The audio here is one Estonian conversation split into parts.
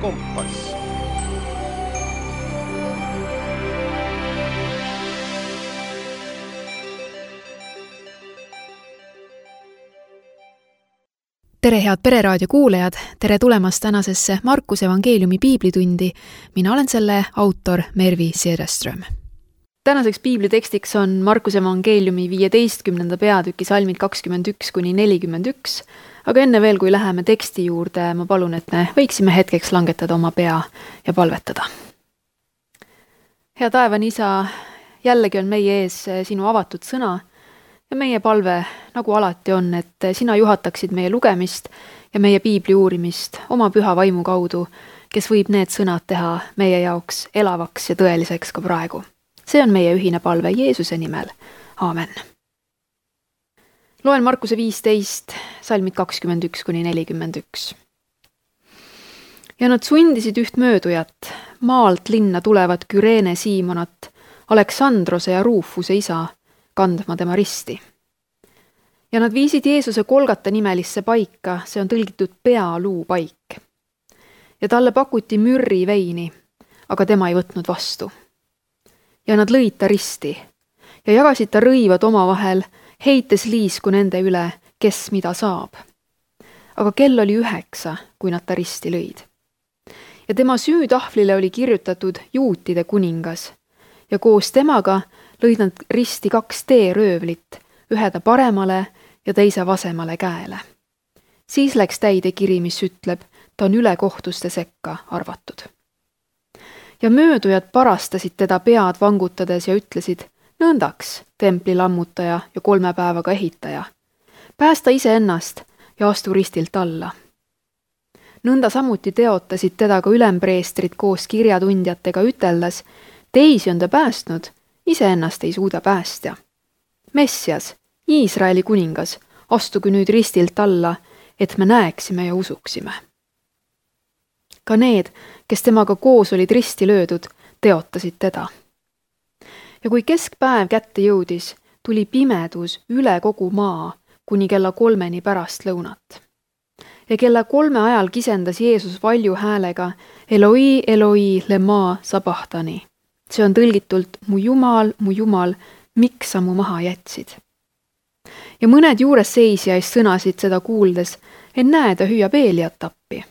kompass. Tere, head Pereraadio kuulajad! Tere tulemast tänasesse Markuse evangeeliumi piiblitundi. Mina olen selle autor Mervi Sederström. Tänaseks piiblitekstiks on Markuse evangeeliumi 15. peatüki salmid 21–41. Aga enne veel, kui läheme teksti juurde, ma palun, et me võiksime hetkeks langetada oma pea ja palvetada. Hea taevane Isa, jällegi on meie ees sinu avatud sõna ja meie palve, nagu alati on, et sina juhataksid meie lugemist ja meie piibli uurimist oma püha vaimu kaudu, kes võib need sõnad teha meie jaoks elavaks ja tõeliseks ka praegu. See on meie ühine palve Jeesuse nimel. Aamen. Loen Markuse 15, salmid 21–41. Ja nad sundisid üht möödujat, maalt linna tulevat Küreene Siimonat, Aleksandrose ja Ruufuse isa, kandma tema risti. Ja nad viisid Jeesuse Kolgata nimelisse paika, see on tõlgitud pealuu paik. Ja talle pakuti mürri veini, aga tema ei võtnud vastu. Ja nad lõid ta risti ja jagasid ta rõivad omavahel, heites liisku nende üle, kes mida saab. Aga kell oli 9, kui nad ta risti lõid. Ja tema süütahvlile oli kirjutatud Juutide kuningas ja koos temaga lõid nad risti 2 teeröövlit, ühe ta paremale ja teise vasemale käele. Siis läks täide kiri, mis ütleb, ta on ülekohtuste sekka arvatud. Ja möödujad parastasid teda pead vangutades ja ütlesid, nõndaks, templi lammutaja ja 3 päevaga ehitaja. Päästa ise ennast ja astu ristilt alla. Nõnda samuti teotasid teda ka ülempreestrid koos kirjatundjatega üteldes, teisi on ta päästnud, iseennast ei suuda päästja. Messias, Iisraeli kuningas, astugu nüüd ristilt alla, et me näeksime ja usuksime. Ka need, kes temaga koos olid risti löödud, teotasid teda. Ja kui keskpäev kätte jõudis, tuli pimedus üle kogu maa kuni kella 3 pärast lõunat. Ja kella 3 ajal kisendas Jeesus valju häälega Eloi, Eloi, lema sabahtani. See on tõlgitult mu Jumal, miks sa mu maha jätsid? Ja mõned juures seisjais sõnasid seda kuuldes, en näe, ta hüüab Eeliat tappi.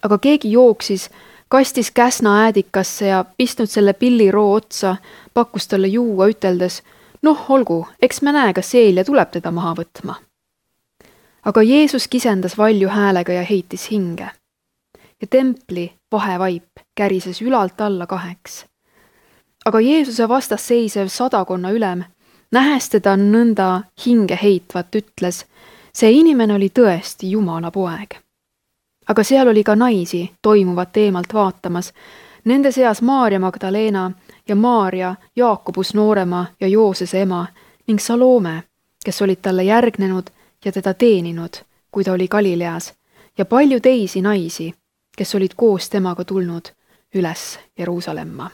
Aga keegi jooksis, kastis käsna äädikasse ja pistnud selle pilliroo otsa, pakkus talle juua üteldes, noh, olgu, eks me näe, kas Eelia tuleb teda maha võtma. Aga Jeesus kisendas valju häälega ja heitis hinge. Ja templi vahevaip kärises ülalt alla 2. Aga Jeesuse vastas seisev 100 ülem, nähes teda nõnda hinge heitvat, ütles, see inimene oli tõesti Jumala poeg. Aga seal oli ka naisi toimuvat eemalt vaatamas, nende seas Maarja Magdalena ja Maarja, Jaakobus noorema ja Joosese ema ning Salome, kes olid talle järgnenud ja teda teeninud, kui ta oli Galileas, ja palju teisi naisi, kes olid koos temaga tulnud üles Jeruusalemma.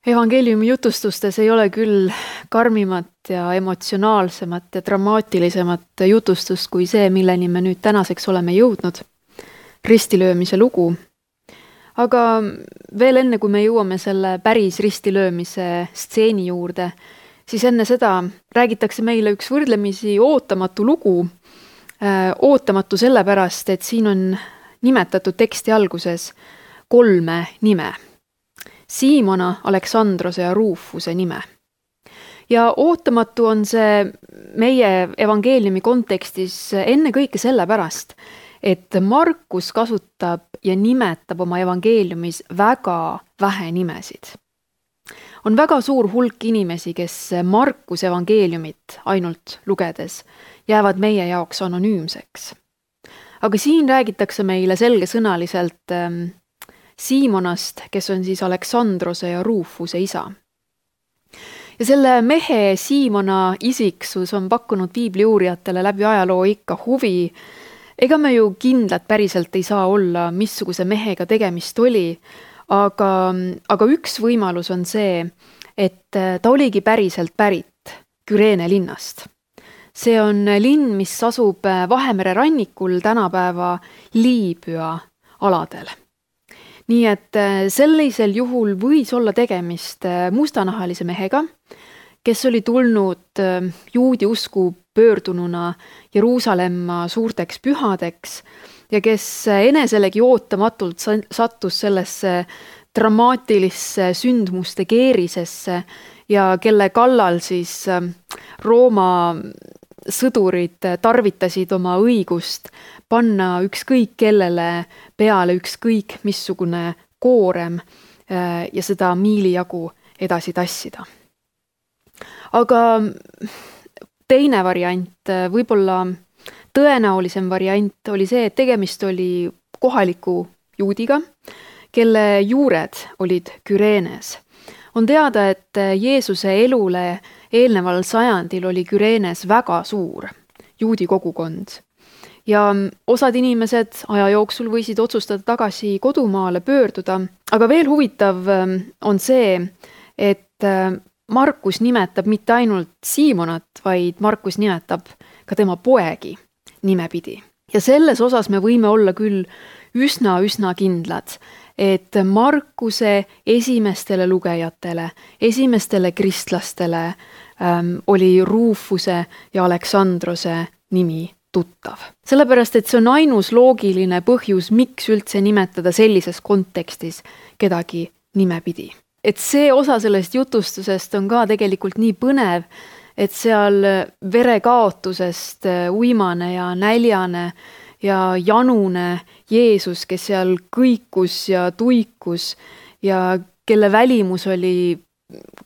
Evangeeliumi jutustustes ei ole küll karmimat ja emotsionaalsemat ja dramaatilisemat jutustust kui see, milleni me nüüd tänaseks oleme jõudnud, ristilöömise lugu. Aga veel enne, kui me jõuame selle päris ristilöömise stseeni juurde, siis enne seda räägitakse meile üks võrdlemisi ootamatu lugu. Ootamatu sellepärast, et siin on nimetatud teksti alguses 3 nime. Siimona, Aleksandrose ja Ruufuse nime. Ja ootamatu on see meie evangeeliumi kontekstis enne kõike sellepärast, et Markus kasutab ja nimetab oma evangeeliumis väga vähe nimesid. On väga suur hulk inimesi, kes Markus evangeeliumit ainult lugedes jäävad meie jaoks anonüümseks. Aga siin räägitakse meile selgesõnaliselt Siimonast, kes on siis Aleksandrose ja Ruufuse isa. Ja selle mehe Siimona isiksus on pakkunud piibliuurijatele läbi ajaloo ikka huvi. Ega me ju kindlad päriselt ei saa olla, missuguse mehega tegemist oli, aga üks võimalus on see, et ta oligi päriselt pärit Küreene linnast. See on linn, mis asub Vahemere rannikul tänapäeva Liibüa aladel. Nii et sellisel juhul võis olla tegemist mustanahalise mehega, kes oli tulnud juudi usku pöördununa Jeruusalemma suurteks pühadeks ja kes eneselegi ootamatult sattus sellesse dramaatilisse sündmuste keerisesse ja kelle kallal siis Rooma sõdurid tarvitasid oma õigust panna ükskõik kellele peale ükskõik missugune koorem ja seda miilijagu edasi tassida. Aga teine variant, võib-olla tõenäolisem variant oli see, et tegemist oli kohaliku juudiga, kelle juured olid Küreenes. On teada, et Jeesuse elule eelneval sajandil oli Küreenes väga suur juudi kogukond. Ja osad inimesed aja jooksul võisid otsustada tagasi kodumaale pöörduda, aga veel huvitav on see, et Markus nimetab mitte ainult Siimonat, vaid Markus nimetab ka tema poegi nimepidi. Ja selles osas me võime olla küll üsna kindlad, et Markuse esimestele lugejatele, esimestele kristlastele oli Rufuse ja Aleksandrose nimi tuttav. Sellepärast, et see on ainus loogiline põhjus, miks üldse nimetada sellises kontekstis kedagi nimepidi. Et see osa sellest jutustusest on ka tegelikult nii põnev, et seal verekaotusest uimane ja näljane ja janune Jeesus, kes seal kõikus ja tuikus ja kelle välimus oli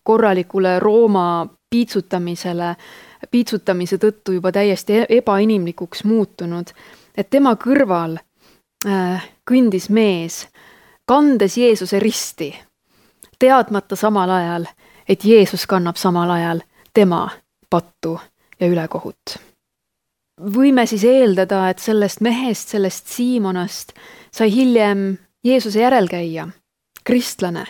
korralikule Rooma piitsutamise tõttu juba täiesti ebainimlikuks muutunud, et tema kõrval kõndis mees, kandes Jeesuse risti, teadmata samal ajal, et Jeesus kannab samal ajal tema pattu ja ülekohut. Võime siis eeldada, et sellest mehest, sellest Siimonast sai hiljem Jeesuse järelkäija, kristlane,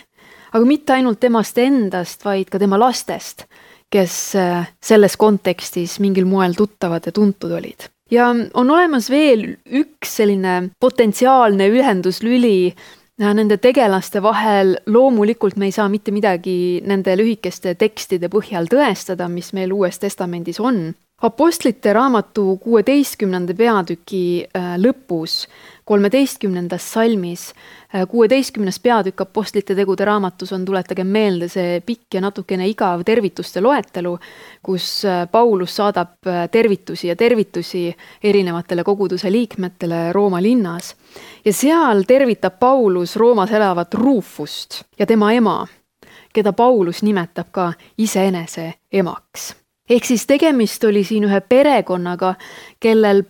aga mitte ainult temast endast, vaid ka tema lastest, kes selles kontekstis mingil moel tuttavad ja tuntud olid. Ja on olemas veel üks selline potentsiaalne ühenduslüli nende tegelaste vahel. Loomulikult me ei saa mitte midagi nende lühikeste tekstide põhjal tõestada, mis meil Uues Testamendis on. Apostlite raamatu 16. peatüki lõpus, 13. salmis, 16. peatükk Apostlite tegude raamatus on, tuletage meelde, see pikk ja natukene igav tervituste loetelu, kus Paulus saadab tervitusi erinevatele koguduse liikmetele Rooma linnas. Ja seal tervitab Paulus Roomas elavat Rufust ja tema ema, keda Paulus nimetab ka iseenese emaks. Ehk siis tegemist oli siin ühe perekonnaga, kellega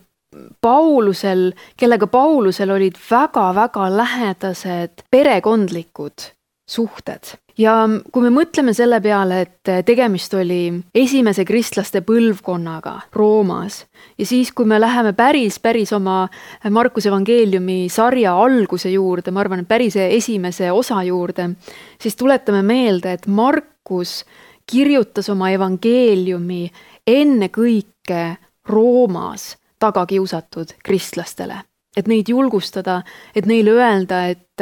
Paulusel olid väga lähedased perekondlikud suhted. Ja kui me mõtleme selle peale, et tegemist oli esimese kristlaste põlvkonnaga Roomas ja siis, kui me läheme päris oma Markuse evangeeliumi sarja alguse juurde, ma arvan, et päris esimese osa juurde, siis tuletame meelde, et Markus kirjutas oma evangeeliumi enne kõike Roomas tagakiusatud kristlastele. Et neid julgustada, et neile öelda, et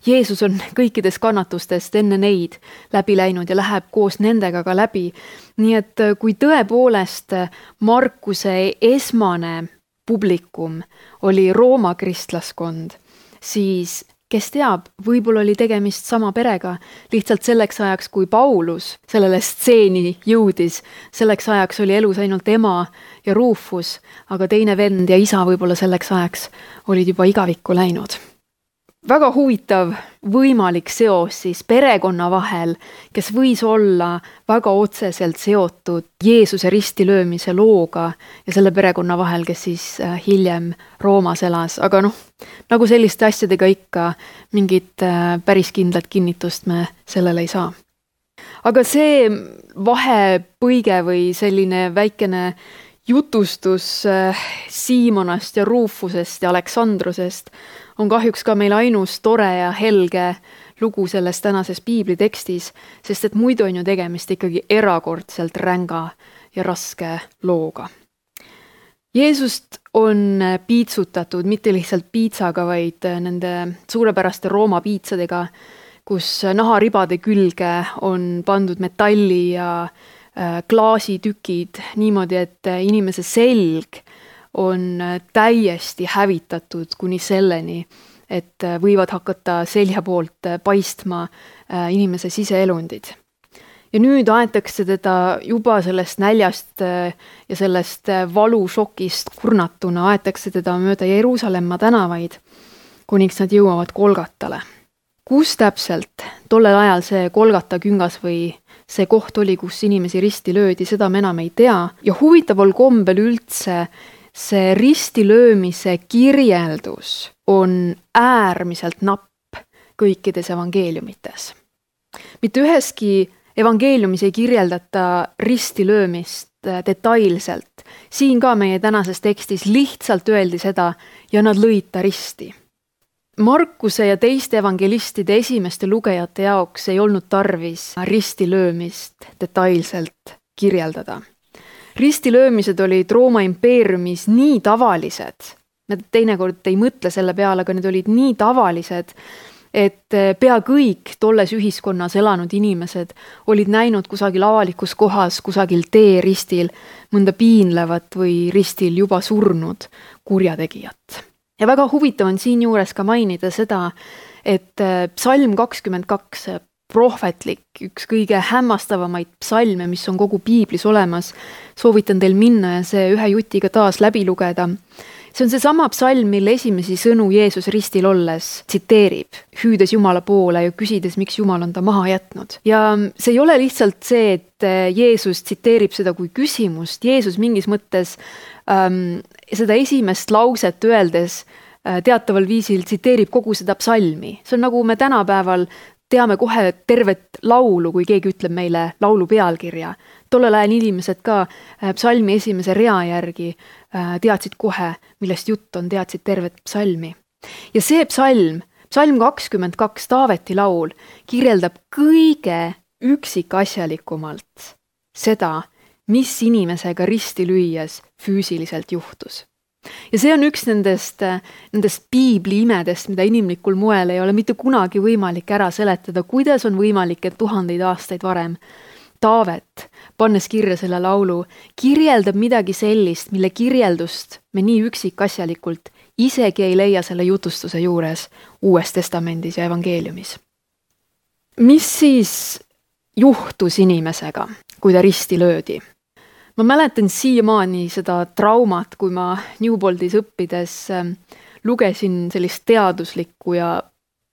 Jeesus on kõikides kannatustest enne neid läbi läinud ja läheb koos nendega ka läbi. Nii et kui tõepoolest Markuse esmane publikum oli Rooma kristlaskond, siis kes teab, võib-olla oli tegemist sama perega, lihtsalt selleks ajaks, kui Paulus sellele stseeni jõudis, selleks ajaks oli elus ainult ema ja Rufus, aga teine vend ja isa võib-olla selleks ajaks olid juba igavikku läinud. Väga huvitav võimalik seos siis perekonna vahel, kes võis olla väga otseselt seotud Jeesuse ristilöömise looga ja selle perekonna vahel, kes siis hiljem Roomas elas. Aga nagu selliste asjadega ikka, mingit päris kindlat kinnitust me sellele ei saa. Aga see vahepõige või selline väikene jutustus Siimonast ja Rufusest ja Aleksandrusest on kahjuks ka meil ainus tore ja helge lugu selles tänases piiblitekstis, sest et muidu on ju tegemist ikkagi erakordselt ränga ja raske looga. Jeesust on piitsutatud mitte lihtsalt piitsaga, vaid nende suurepäraste Rooma piitsadega, kus naharibade külge on pandud metalli ja klaasitükid niimoodi, et inimese selg on täiesti hävitatud kuni selleni, et võivad hakata selja poolt paistma inimese siseelundid. Ja nüüd aetakse teda juba sellest näljast ja sellest valušokist kurnatuna, aetakse teda mööda Jeruusalemma tänavaid, kuniks nad jõuavad Golgatale. Kus täpselt tollel ajal see Golgata küngas või see koht oli, kus inimesi risti löödi, seda me enam ei tea. Ja huvitaval kombel üldse see ristilöömise kirjeldus on äärmiselt napp kõikides evangeeliumites. Mitte üheski evangeeliumis ei kirjeldata ristilöömist detailselt. Siin ka meie tänases tekstis lihtsalt öeldi seda ja nad lõid ta risti. Markuse ja teiste evangelistide esimeste lugejate jaoks ei olnud tarvis ristilöömist detailselt kirjeldada. Ristilöömised olid Rooma impeeriumis nii tavalised, nad teinekord ei mõtle selle peale, aga need olid nii tavalised, et pea kõik tolles ühiskonnas elanud inimesed olid näinud kusagil avalikus kohas, kusagil teeristil mõnda piinlevat või ristil juba surnud kurjategijat. Ja väga huvitav on siin juures ka mainida seda, et psalm 22, prohvetlik, üks kõige hämmastavamaid psalme, mis on kogu piiblis olemas, soovitan teil minna ja see ühe jutiga taas läbi lugeda. See on see sama psalm, mille esimesi sõnu Jeesus ristil olles tsiteerib, hüüdes Jumala poole ja küsides, miks Jumal on ta maha jätnud. Ja see ei ole lihtsalt see, et Jeesus tsiteerib seda kui küsimust. Jeesus mingis mõttes seda esimest lauset öeldes teataval viisil tsiteerib kogu seda psalmi. See on nagu me tänapäeval teame kohe tervet laulu, kui keegi ütleb meile laulu pealkirja. Tollel ajal inimesed ka psalmi esimese rea järgi teadsid kohe, millest jutt on, teadsid tervet psalmi. Ja see psalm 22, Taaveti laul, kirjeldab kõige üksikasjalikumalt seda, mis inimesega risti lüües füüsiliselt juhtus. Ja see on üks nendest piibli imedest, mida inimlikul moel ei ole mitte kunagi võimalik ära seletada, kuidas on võimalik, et 1000 aastaid varem Taavet, pannes kirja selle laulu, kirjeldab midagi sellist, mille kirjeldust me nii üksikasjalikult isegi ei leia selle jutustuse juures Uues Testamendis ja evangeeliumis. Mis siis juhtus inimesega, kui ta risti löödi? Ma mäletan siiamaani seda traumat, kui ma Newboltis õppides lugesin sellist teaduslikku ja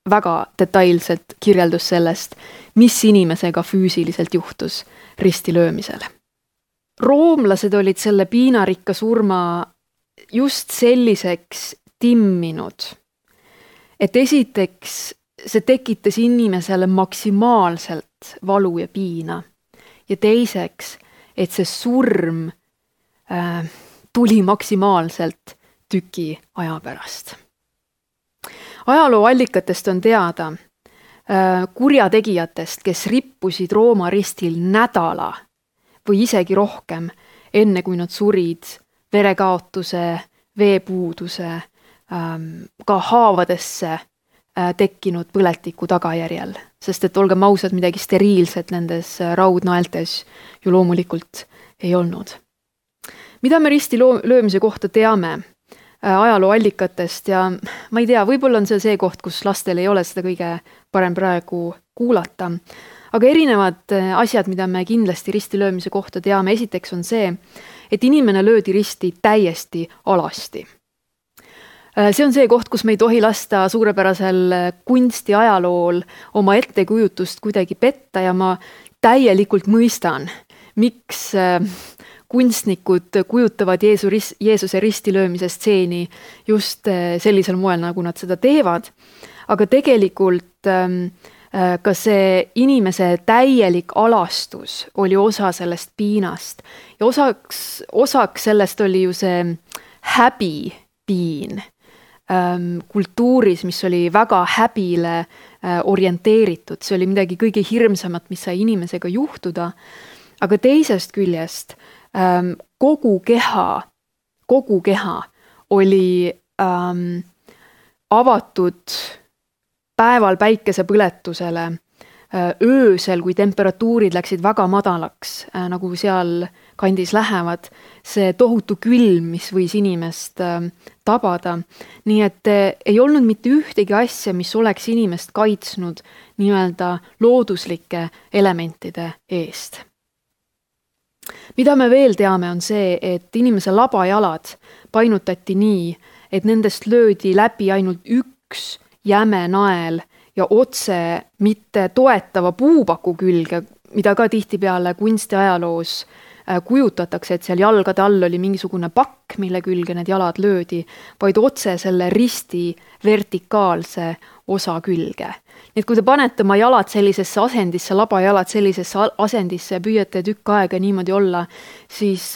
väga detailset kirjeldus sellest, mis inimesega füüsiliselt juhtus ristilöömisel. Roomlased olid selle piinarikka surma just selliseks timminud, et esiteks see tekitas inimesele maksimaalselt valu ja piina ja teiseks, et see surm tuli maksimaalselt tüki aja pärast. Ajaloo allikatest on teada kurjategijatest, kes rippusid Rooma ristil nädala või isegi rohkem, enne kui nad surid verekaotuse, veepuuduse, ka haavadesse tekkinud põletiku tagajärjel. Sest et olgem ausad, midagi steriilset nendes raudnaeltes ju loomulikult ei olnud. Mida me risti löömise kohta teame ajaloo allikatest ja ma ei tea, võib-olla on see koht, kus lastel ei ole seda kõige parem praegu kuulata. Aga erinevad asjad, mida me kindlasti risti löömise kohta teame, esiteks on see, et inimene löödi risti täiesti alasti. See on see koht, kus me ei tohi lasta suurepärasel kunsti ajalool oma ettekujutust kuidagi petta ja ma täielikult mõistan, miks kunstnikud kujutavad Jeesuse ristilöömise stseeni just sellisel moel, nagu nad seda teevad. Aga tegelikult ka see inimese täielik alastus oli osa sellest piinast. Ja osaks sellest oli ju see häbipiin kultuuris, mis oli väga häbile orienteeritud. See oli midagi kõige hirmsamat, mis sai inimesega juhtuda. Aga teisest küljest kogu keha kogu keha oli avatud päeval päikesepõletusele, öösel, kui temperatuurid läksid väga madalaks, nagu seal kandis lähevad, see tohutu külm, mis võis inimest tabada. Nii et ei olnud mitte ühtegi asja, mis oleks inimest kaitsnud nii-öelda looduslike elementide eest. Mida me veel teame, on see, et inimese labajalad painutati nii, et nendest löödi läbi ainult üks jäme nael ja otse mitte toetava puupaku külge, mida ka tihtipeale kunstiajaloos kujutatakse, et seal jalgade all oli mingisugune pakk, mille külge need jalad löödi, vaid otse selle risti vertikaalse osa külge. Nii et kui te panete oma jalad sellisesse asendisse, labajalad sellisesse asendisse ja püüate tükk aega niimoodi olla, siis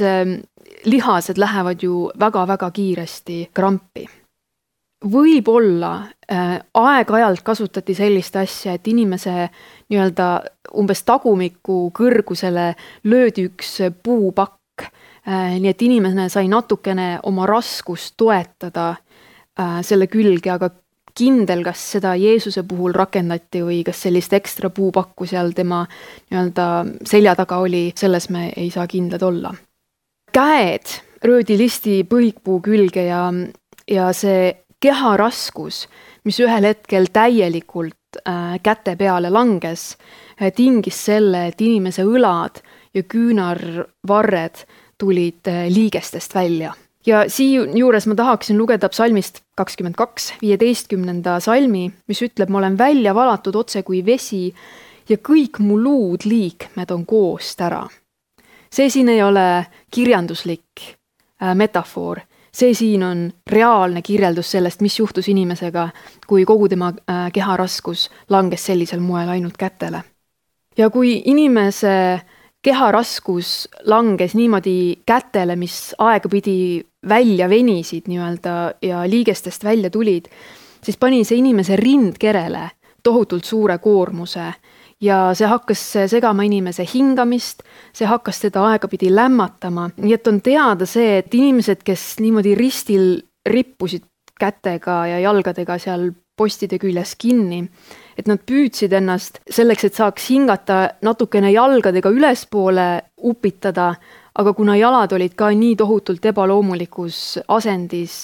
lihased lähevad ju väga-väga kiiresti krampi. Võib-olla aeg-ajalt kasutati sellist asja, et inimese nii-öelda umbes tagumiku kõrgusele löödi üks puupakk, nii et inimene sai natukene oma raskust toetada selle külge, aga kindel, kas seda Jeesuse puhul rakendati või kas sellist ekstra puupakku seal tema nii-öelda selja taga oli, selles me ei saa kindlad olla. Käed röödi listi põikpuu külge ja see keha raskus, mis ühel hetkel täielikult käte peale langes, tingis selle, et inimese õlad ja küünarvarred tulid liigestest välja. Ja siinjuures ma tahaksin lugeda psalmist 22, 15. salmi, mis ütleb, ma olen välja valatud otse kui vesi ja kõik mu luud liikmed on koost ära. See siin ei ole kirjanduslik metafoor. See siin on reaalne kirjeldus sellest, mis juhtus inimesega, kui kogu tema keha raskus langes sellisel moel ainult kätele. Ja kui inimese keha raskus langes niimoodi kätele, mis aegapidi välja venisid nii-öelda ja liigestest välja tulid, siis pani see inimese rindkerele tohutult suure koormuse ja see hakkas segama inimese hingamist, see hakkas teda aegapidi lämmatama. Nii et on teada see, et inimesed, kes niimoodi ristil rippusid kätega ja jalgadega seal postide küljes kinni, et nad püüdsid ennast selleks, et saaks hingata natukene jalgadega ülespoole upitada, aga kuna jalad olid ka nii tohutult ebaloomulikus asendis,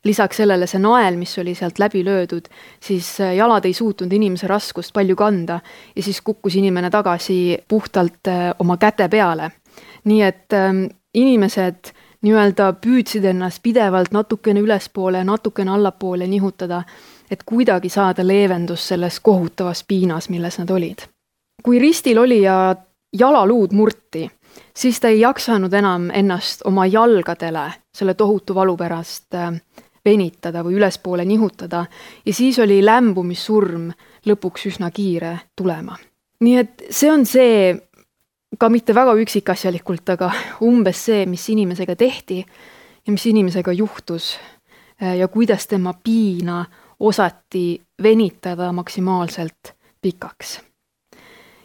lisaks sellele see nael, mis oli sealt läbi löödud, siis jalad ei suutnud inimese raskust palju kanda ja siis kukkus inimene tagasi puhtalt oma käte peale. Nii et inimesed nii-öelda püüdsid ennast pidevalt natukene ülespoole ja natukene allapoole nihutada, et kuidagi saada leevendus selles kohutavas piinas, milles nad olid. Kui ristil oli ja jalaluud murti, siis ta ei jaksanud enam ennast oma jalgadele selle tohutu valu pärast venitada või ülespoole nihutada ja siis oli lämbumissurm lõpuks üsna kiire tulema. Nii et see on see, ka mitte väga üksikasjalikult, aga umbes see, mis inimesega tehti ja mis inimesega juhtus ja kuidas tema piina osati venitada maksimaalselt pikaks.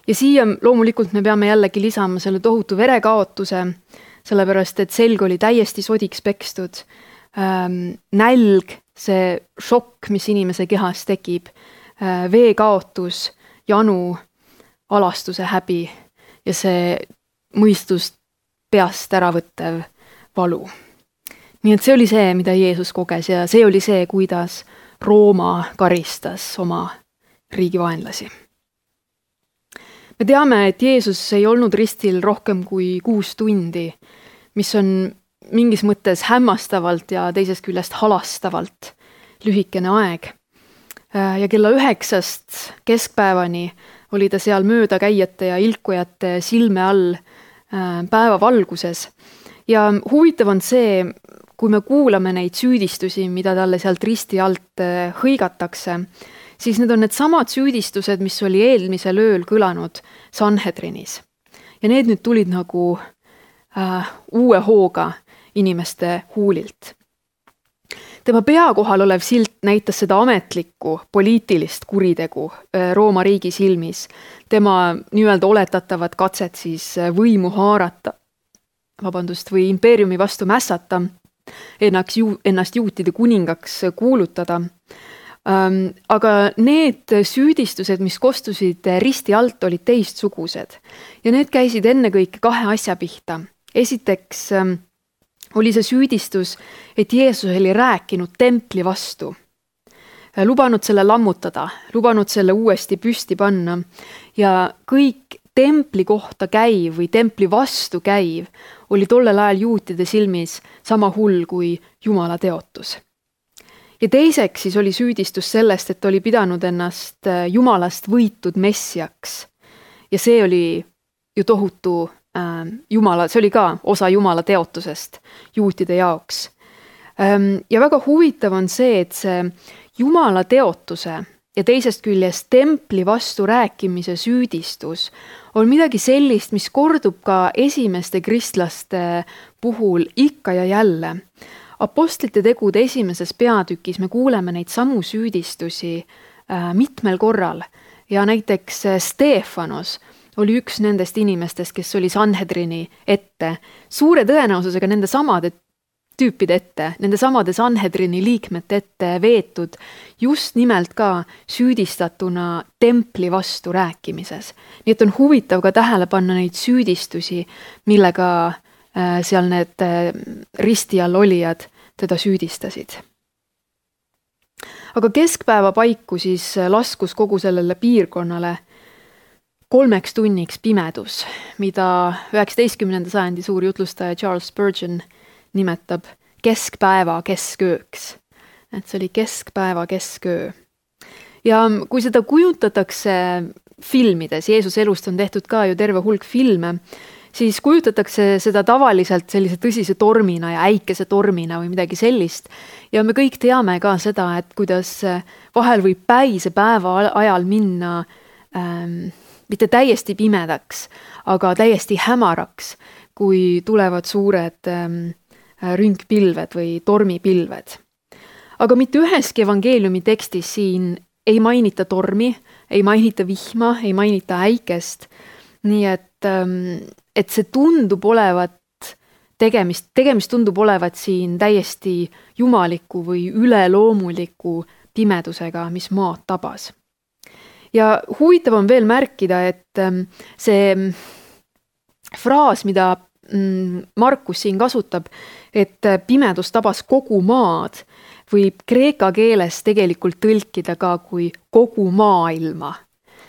Ja siia loomulikult me peame jällegi lisama selle tohutu verekaotuse, sellepärast et selg oli täiesti sodiks pekstud, nälg, see šokk, mis inimese kehas tekib, veekaotus, janu, alastuse häbi ja see mõistust peast äravõttev valu. Nii et see oli see, mida Jeesus koges ja see oli see, kuidas Rooma karistas oma riigivaenlasi. Me teame, et Jeesus ei olnud ristil rohkem kui 6 tundi, mis on mingis mõttes hämmastavalt ja teisest küljest halastavalt lühikene aeg. Ja kella 9 keskpäevani oli ta seal möödakäijate ja ilkujate silme all päevavalguses. Ja huvitav on see, kui me kuulame neid süüdistusi, mida talle sealt risti alt hõigatakse, siis need on need samad süüdistused, mis oli eelmisel ööl kõlanud Sanhedrinis. Ja need nüüd tulid nagu uue hooga inimeste huulilt. Tema pea kohal olev silt näitas seda ametlikku poliitilist kuritegu Rooma riigi silmis. Tema nii-öelda oletatavat katset siis võimu haarata, või impeeriumi vastu mässata. ennast juutide kuningaks kuulutada. Aga need süüdistused, mis kostusid risti alt, olid teistsugused ja need käisid ennekõike kahe asja pihta. Esiteks oli see süüdistus, et Jeesus oli rääkinud templi vastu, lubanud selle lammutada, lubanud selle uuesti püsti panna ja kõik templi kohta käiv või templi vastu käiv oli tollel ajal juutide silmis sama hull kui Jumala teotus. Ja teiseks siis oli süüdistus sellest, et oli pidanud ennast Jumalast võitud messiaks. Ja see oli ju tohutu Jumala, see oli ka osa Jumala teotusest juutide jaoks. Ja väga huvitav on see, et see Jumala teotuse ja teisest küljest templi vastu rääkimise süüdistus on midagi sellist, mis kordub ka esimeste kristlaste puhul ikka ja jälle. Apostlite tegude 1. peatükis me kuuleme neid samu süüdistusi mitmel korral ja näiteks Stefanos oli üks nendest inimestest, kes oli Sanhedrini ette, suure tõenäosusega nende samade tüüpide ette, nende samade Sanhedrini liikmete ette veetud just nimelt ka süüdistatuna templi vastu rääkimises. Nii et on huvitav ka tähele panna neid süüdistusi, millega seal need risti all olijad teda süüdistasid. Aga keskpäeva paiku siis laskus kogu sellele piirkonnale 3 tunniks pimedus, mida 19. sajandi suur jutlustaja Charles Spurgeon nimetab keskpäeva keskööks. Et see oli keskpäeva kesköö. Ja kui seda kujutatakse filmides, Jeesuse elust on tehtud ka ju terve hulk filme, siis kujutatakse seda tavaliselt sellise tõsise tormina ja äikese tormina või midagi sellist. Ja me kõik teame ka seda, et kuidas vahel võib päise päeva ajal minna mitte täiesti pimedaks, aga täiesti hämaraks, kui tulevad suured rünkpilved või tormipilved. Aga mitte üheski evangeeliumi tekstis siin ei mainita tormi, ei mainita vihma, ei mainita äikest. Nii et see tundub olevat tegemist tundub olevat siin täiesti jumaliku või üleloomuliku pimedusega, mis maad tabas. Ja huvitav on veel märkida, et see fraas, mida Markus siin kasutab, et pimedus tabas kogu maad, võib kreeka keeles tegelikult tõlkida ka kui kogu maailma.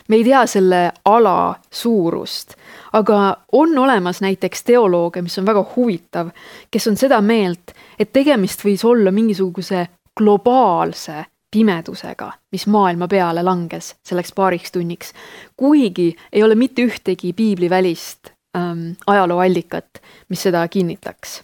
Me ei tea selle ala suurust, aga on olemas näiteks teolooge, mis on väga huvitav, kes on seda meelt, et tegemist võis olla mingisuguse globaalse pimedusega, mis maailma peale langes selleks 2 tunniks, kuigi ei ole mitte ühtegi piiblivälist ajalooallikat, mis seda kinnitaks.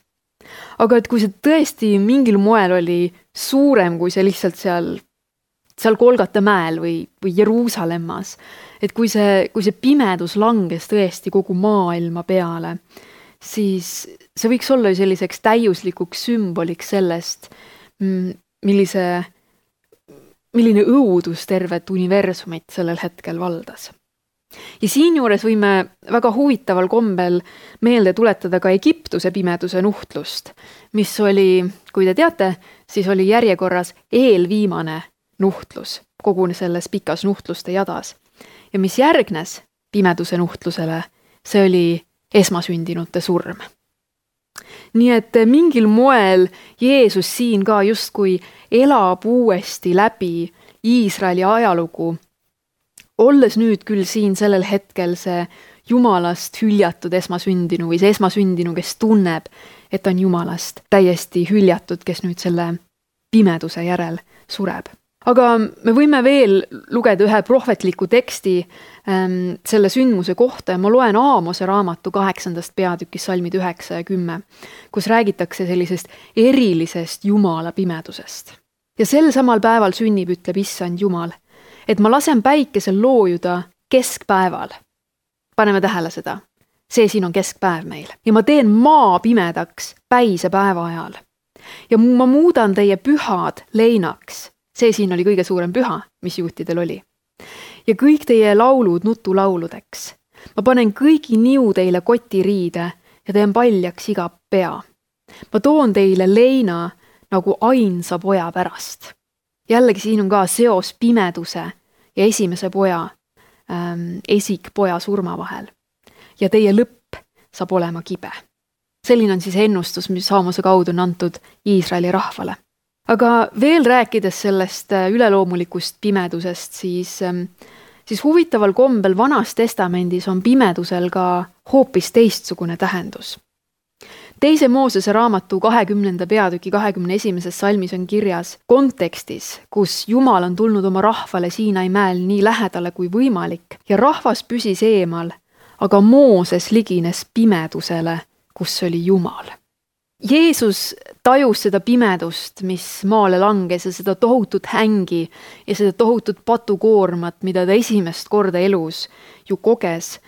Aga et kui see tõesti mingil moel oli suurem kui see lihtsalt seal Golgata mäel või Jeruusalemmas, et kui see pimedus langes tõesti kogu maailma peale, siis see võiks olla ju selliseks täiuslikuks sümboliks sellest, milline õudus tervet universumit sellel hetkel valdas. Ja siinjuures võime väga huvitaval kombel meelde tuletada ka Egiptuse pimeduse nuhtlust, mis oli, kui te teate, siis oli järjekorras eelviimane nuhtlus kogu selles pikas nuhtluste jadas. Ja mis järgnes pimeduse nuhtlusele, see oli esmasündinute surm. Nii et mingil moel Jeesus siin ka justkui elab uuesti läbi Iisraeli ajalugu, olles nüüd küll siin sellel hetkel see Jumalast hüljatud esmasündinu või see esmasündinu, kes tunneb, et on Jumalast täiesti hüljatud, kes nüüd selle pimeduse järel sureb. Aga me võime veel lugeda ühe prohvetliku teksti selle sündmuse kohta ja ma loen Aamose raamatu 8. peatükis salmid 9 ja 10, kus räägitakse sellisest erilisest Jumala pimedusest. Ja sel samal päeval sünnib, ütleb Issand Jumal, et ma lasen päikesel loojuda keskpäeval. Paneme tähele seda. See siin on keskpäev meil. Ja ma teen maa pimedaks päise päeva ajal. Ja ma muudan teie pühad leinaks. See siin oli kõige suurem püha, mis juutidel oli. Ja kõik teie laulud nutulauludeks. Ma panen kõigi niu teile kotiriide ja teen paljaks iga pea. ma toon teile leina nagu ainsa poja pärast. Jällegi siin on ka seos pimeduse ja esimese poja, esikpoja surma vahel. Ja teie lõpp saab olema kibe. Selline on siis ennustus, mis Saamose kaudu on antud Iisraeli rahvale. Aga veel rääkides sellest üleloomulikust pimedusest, siis huvitaval kombel Vanas Testamendis on pimedusel ka hoopis teistsugune tähendus. Teise Moosese raamatu 20. peatüki 21. salmis on kirjas kontekstis, kus Jumal on tulnud oma rahvale Siinai mäel nii lähedale kui võimalik ja rahvas püsis eemal, aga Mooses ligines pimedusele, kus oli Jumal. Jeesus tajus seda pimedust, mis maale langes ja seda tohutut hängi ja seda tohutut patukoormat, mida ta esimest korda elus ju koges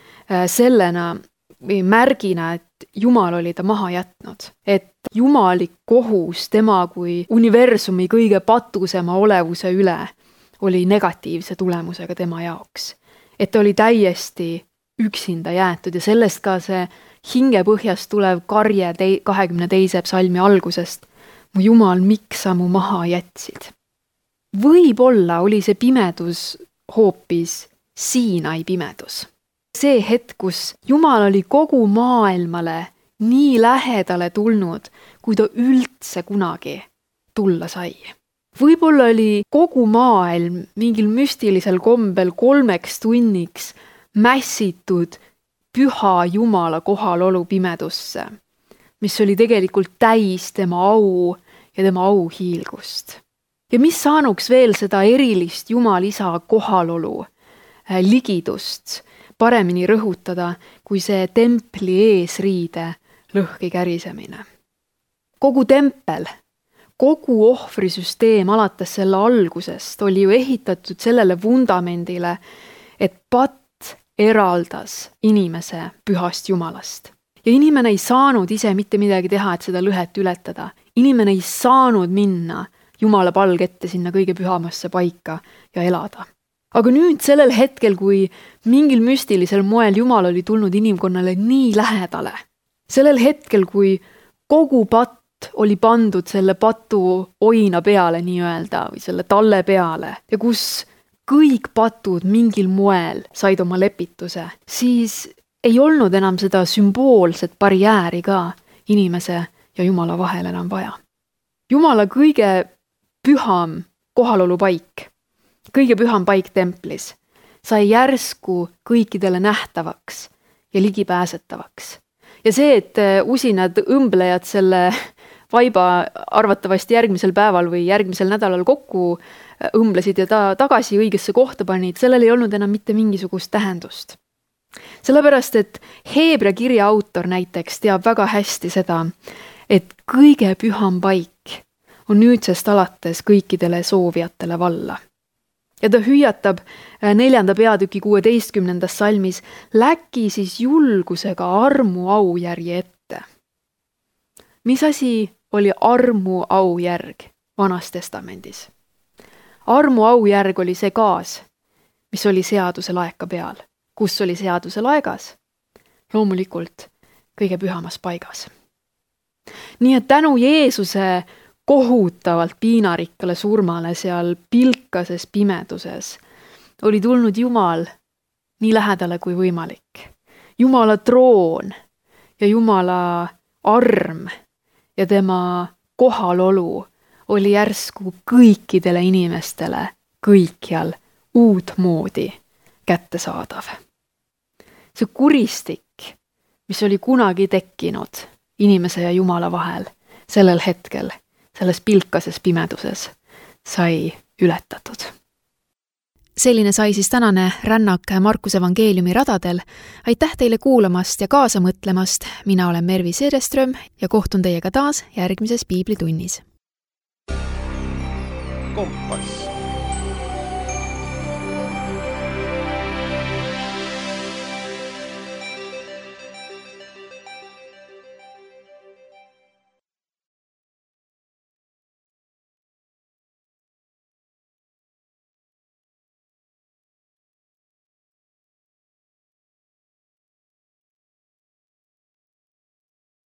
sellena või märgina, et Jumal oli ta maha jätnud. Et jumalik kohus tema kui universumi kõige patusema olevuse üle oli negatiivse tulemusega tema jaoks. Et ta oli täiesti üksinda jäetud ja sellest ka see hingepõhjast tulev karje 22. psalmi algusest. Mu Jumal, miks sa mu maha jätsid? Võib-olla oli see pimedus hoopis Siinai pimedus. See hetk, kus Jumal oli kogu maailmale nii lähedale tulnud, kui ta üldse kunagi tulla sai. Võib-olla oli kogu maailm mingil müstilisel kombel 3 tunniks mässitud püha Jumala kohalolu pimedusse, mis oli tegelikult täis tema au ja tema auhiilgust. Ja mis saanuks veel seda erilist Jumal isa kohalolu, ligidust paremini rõhutada, kui see templi eesriide lõhki kärisemine. Kogu tempel, kogu ohvrisüsteem alates selle algusest oli ju ehitatud sellele vundamendile, et patt eraldas inimese pühast Jumalast. Ja inimene ei saanud ise mitte midagi teha, et seda lõhet ületada. Inimene ei saanud minna Jumala palge ette sinna kõige pühamasse paika ja elada. Aga nüüd sellel hetkel, kui mingil müstilisel moel Jumal oli tulnud inimkonnale nii lähedale, sellel hetkel, kui kogu patt oli pandud selle patu oina peale nii-öelda või selle talle peale ja kus kõik patud mingil moel said oma lepituse, siis ei olnud enam seda sümboolset barjääri ka inimese ja Jumala vahel enam vaja. Jumala kõige püham kohalolupaik, kõige püham paik templis sai järsku kõikidele nähtavaks ja ligipääsetavaks. Ja see, et usinad õmblejad selle vaiba arvatavasti järgmisel päeval või järgmisel nädalal kokku õmblesid ja ta tagasi õigesse kohta panid, sellel ei olnud enam mitte mingisugust tähendust. Sellepärast, et Heebrea kirja autor näiteks teab väga hästi seda, et kõige püham paik on nüüdsest alates kõikidele soovijatele valla. Ja ta hüüatab 4. peatüki 16. salmis, läki siis julgusega armu aujärje ette. Mis asi oli armu aujärg Vanas Testamendis? Armu aujärg oli see gaas, mis oli seaduse laeka peal. Kus oli seaduse laegas? Loomulikult kõige pühamas paigas. Nii et tänu Jeesuse kohutavalt piinarikkale surmale seal pilkases pimeduses oli tulnud Jumal nii lähedale kui võimalik. Jumala troon ja Jumala arm ja tema kohalolu oli järsku kõikidele inimestele kõikjal uutmoodi kättesaadav. See kuristik, mis oli kunagi tekkinud inimese ja Jumala vahel sellel hetkel, selles pilkases pimeduses sai ületatud. Selline sai siis tänane rännak Markuse evangeeliumi radadel. Aitäh teile kuulamast ja kaasa mõtlemast. Mina olen Mervi Seereström ja kohtun teiega taas järgmises piiblitunnis. Kompass.